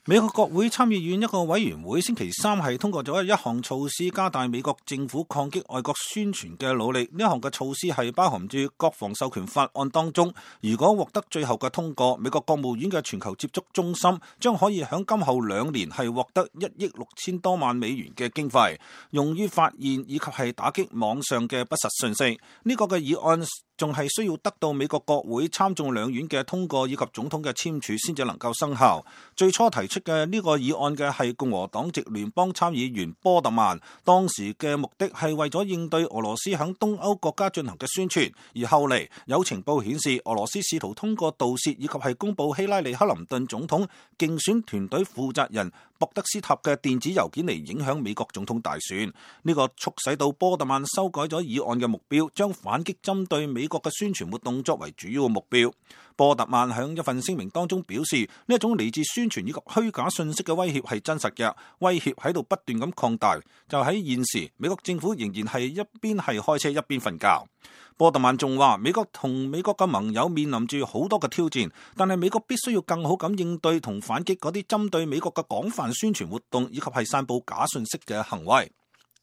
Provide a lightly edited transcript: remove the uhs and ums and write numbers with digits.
美國國會參議院一個委員會星期三係通過咗一項措施，加大美國政府抗擊外國宣傳嘅努力。呢項嘅措施係包含住國防授權法案當中，如果獲得最後嘅通過，美國國務院嘅全球接觸中心將可以喺今後2年係獲得1億6千多萬美元嘅經費，用於發現以及係打擊網上嘅不實信息。呢個嘅議案仲係需要得到美國國會參眾兩院嘅通過以及總統嘅簽署先至能夠生效。最初提出嘅呢個議案嘅係共和黨籍聯邦參議員波特曼，當時嘅目的係為咗應對俄羅斯響東歐國家進行嘅宣傳，而後嚟有情報顯示俄羅斯試圖通過盜竊以及係公佈希拉里克林頓總統競選團隊負責人博德斯塔嘅電子郵件嚟影響美國總統大選。呢個促使到波特曼修改咗議案嘅目標，將反擊針對美國嘅宣傳活動作為主要嘅目標。波特曼喺一份聲明當中表示，呢一種嚟自宣傳以及虛假信息嘅威脅係真實嘅，威脅喺度不斷咁擴大。就喺現時，美國政府仍然係一邊係開車一邊瞓覺。波特曼仲話，美國同美國嘅盟友面臨住好多嘅挑戰，但係美國必須要更好咁應對同反擊嗰啲針對美國嘅廣泛宣傳活動以及係散佈假信息嘅行為。